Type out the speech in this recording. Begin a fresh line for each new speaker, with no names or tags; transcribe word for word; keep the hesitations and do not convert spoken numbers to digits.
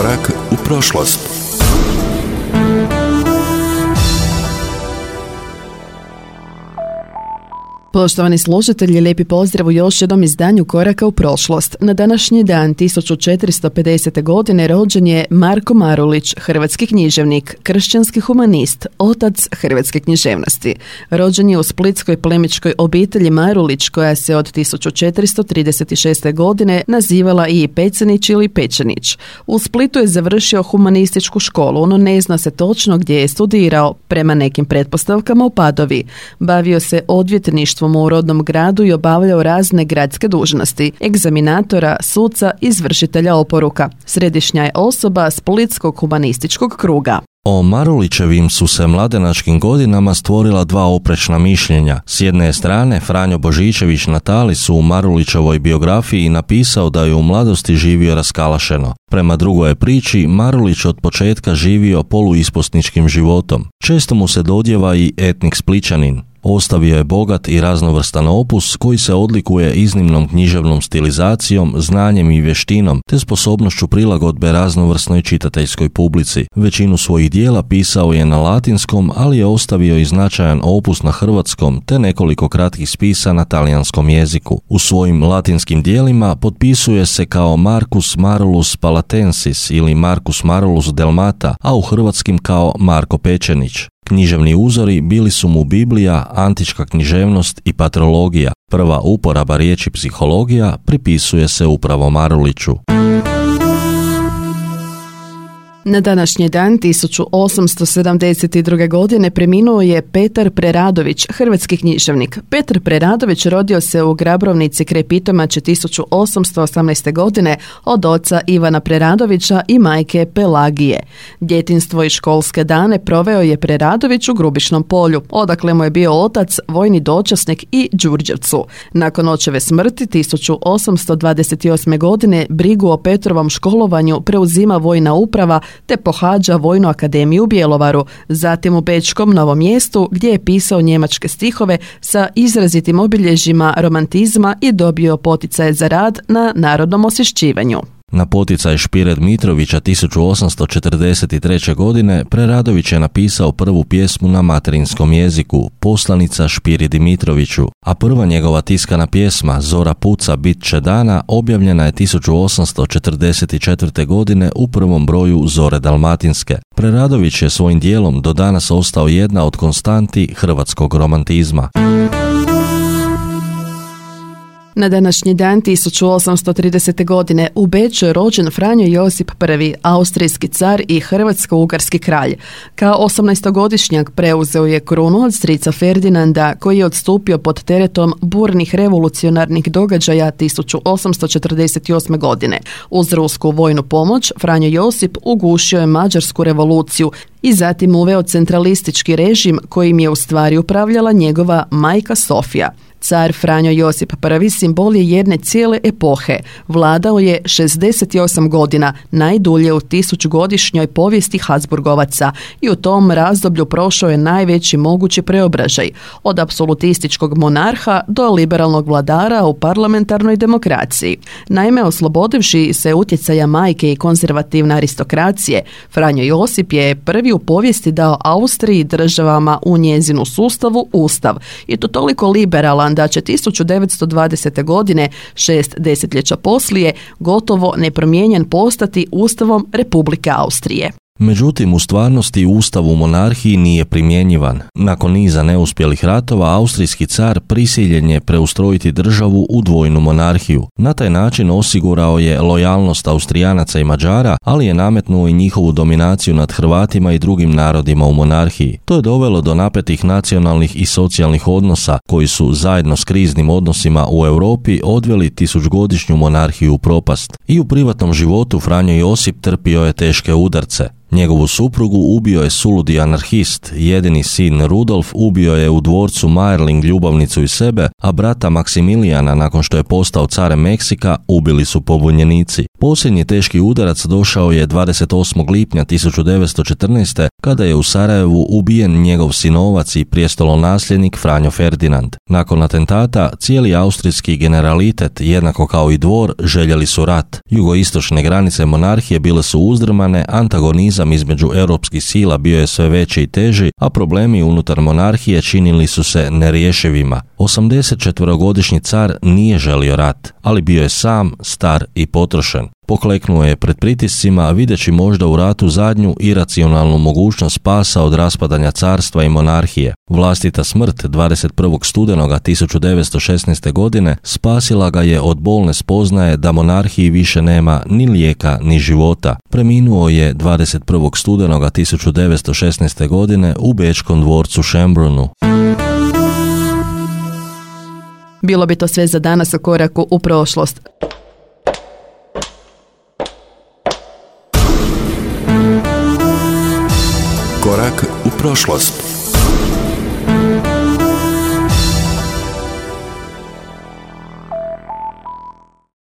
Korak u prošlost.
Poštovani slušatelji, lijepi pozdrav u još jednom izdanju Koraka u prošlost. Na današnji dan tisuću četiristo pedesete. godine rođen je Marko Marulić, hrvatski književnik, kršćanski humanist, otac hrvatske književnosti. Rođen je u splitskoj plemićkoj obitelji Marulić, koja se od tisuću četiristo trideset šeste. godine nazivala i Pecanić ili Pečanić. U Splitu je završio humanističku školu, no ne zna se točno gdje je studirao, prema nekim pretpostavkama u Padovi. Bavio se odvjetništvom u rodnom gradu i obavljao razne gradske dužnosti, egzaminatora, suca, izvršitelja oporuka. Središnja je osoba Splitskog humanističkog kruga.
O Marulićevim su se mladenačkim godinama stvorila dva oprečna mišljenja. S jedne strane, Franjo Božičević na Talisu u Marulićevoj biografiji napisao da je u mladosti živio raskalašeno. Prema drugoj priči, Marulić od početka živio poluisposničkim životom. Često mu se dodjeva i etnik Splićanin. Ostavio je bogat i raznovrstan opus koji se odlikuje iznimnom književnom stilizacijom, znanjem i vještinom, te sposobnošću prilagodbe raznovrsnoj čitateljskoj publici. Većinu svojih dijela pisao je na latinskom, ali je ostavio i značajan opus na hrvatskom, te nekoliko kratkih spisa na talijanskom jeziku. U svojim latinskim dijelima potpisuje se kao Marcus Marulus Palatensis ili Marcus Marulus Delmata, a u hrvatskim kao Marko Pečanić. Književni uzori bili su mu Biblija, antička književnost i patrologija. Prva uporaba riječi psihologija pripisuje se upravo Maruliću.
Na današnji dan tisuću osamsto sedamdeset druge. godine preminuo je Petar Preradović, hrvatski književnik. Petar Preradović rodio se u Grabrovnici kraj Pitomače tisuću osamsto osamnaeste. godine od oca Ivana Preradovića i majke Pelagije. Djetinjstvo i školske dane proveo je Preradović u Grubišnom Polju, odakle mu je bio otac, vojni dočasnik i Đurđevcu. Nakon očeve smrti tisuću osamsto dvadeset osme. godine brigu o Petrovom školovanju preuzima vojna uprava te pohađa Vojnu akademiju u Bjelovaru, zatim u Bečkom Novom Mjestu gdje je pisao njemačke stihove sa izrazitim obilježjima romantizma i dobio poticaje za rad na narodnom osvješćivanju.
Na poticaj Špire Dmitrovića tisuću osamsto četrdeset treće. godine Preradović je napisao prvu pjesmu na materinskom jeziku, Poslanica Špiri Dmitroviću, a prva njegova tiskana pjesma Zora puca bit će dana objavljena je tisuću osamsto četrdeset četvrte. godine u prvom broju Zore Dalmatinske. Preradović je svojim dijelom do danas ostao jedna od konstanti hrvatskog romantizma.
Na današnji dan tisuću osamsto tridesete. godine u Beču je rođen Franjo Josip I, austrijski car i hrvatsko-ugarski kralj. Kao osamnaestogodišnjak preuzeo je krunu od strica Ferdinanda, koji je odstupio pod teretom burnih revolucionarnih događaja tisuću osamsto četrdeset osme. godine. Uz rusku vojnu pomoć Franjo Josip ugušio je Mađarsku revoluciju i zatim uveo centralistički režim kojim je u stvari upravljala njegova majka Sofija. Car Franjo Josip I simbol je jedne cijele epohe. Vladao je šezdeset osam godina, najdulje u tisućgodišnjoj povijesti Habsburgovaca, i u tom razdoblju prošao je najveći mogući preobražaj, od apsolutističkog monarha do liberalnog vladara u parlamentarnoj demokraciji. Naime, oslobodivši se utjecaja majke i konzervativne aristokracije, Franjo Josip je prvi u povijesti dao Austriji i državama u njezinu sustavu ustav, i to toliko liberalan da će tisuću devetsto dvadesete. godine, šest desetljeća poslije, gotovo nepromijenjen postati Ustavom Republike Austrije.
Međutim, u stvarnosti ustav u monarhiji nije primjenjivan. Nakon niza neuspjelih ratova, austrijski car prisiljen je preustrojiti državu u dvojnu monarhiju. Na taj način osigurao je lojalnost Austrijanaca i Mađara, ali je nametnuo i njihovu dominaciju nad Hrvatima i drugim narodima u monarhiji. To je dovelo do napetih nacionalnih i socijalnih odnosa, koji su zajedno s kriznim odnosima u Europi odveli tisućgodišnju monarhiju u propast. I u privatnom životu Franjo Josip trpio je teške udarce. Njegovu suprugu ubio je suludi anarhist, jedini sin Rudolf ubio je u dvorcu Mayerling ljubavnicu i sebe, a brata Maksimilijana nakon što je postao carem Meksika ubili su pobunjenici. Posljednji teški udarac došao je dvadeset osmog lipnja tisuću devetsto četrnaeste. kada je u Sarajevu ubijen njegov sinovac i prijestolonasljednik Franjo Ferdinand. Nakon atentata cijeli austrijski generalitet, jednako kao i dvor, željeli su rat. Jugoistočne granice monarhije bile su uzdrmane, antagonizam između europskih sila bio je sve veći i teži, a problemi unutar monarhije činili su se nerješivima. osamdesetčetvorogodišnji car nije želio rat, ali bio je sam, star i potrošen. Pokleknuo je pred pritiscima, videći možda u ratu zadnju iracionalnu mogućnost spasa od raspadanja carstva i monarhije. Vlastita smrt dvadeset prvog studenoga tisuću devetsto šesnaeste. godine spasila ga je od bolne spoznaje da monarhiji više nema ni lijeka ni života. Preminuo je dvadeset prvog studenoga tisuću devetsto šesnaeste. godine u bečkom dvorcu Schönbrunnu.
Bilo bi to sve za danas u koraku u prošlost.
Korak u prošlost.